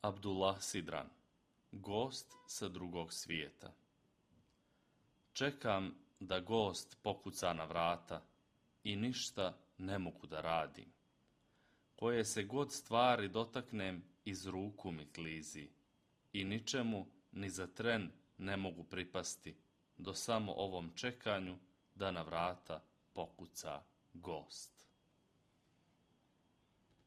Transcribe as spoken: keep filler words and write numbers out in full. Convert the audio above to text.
Abdullah Sidran, gost sa drugog svijeta. Čekam da gost pokuca na vrata i ništa ne mogu da radim. Koje se god stvari dotaknem, iz ruku mi klizi i ničemu ni za tren ne mogu pripasti, do samo ovom čekanju da na vrata pokuca gost.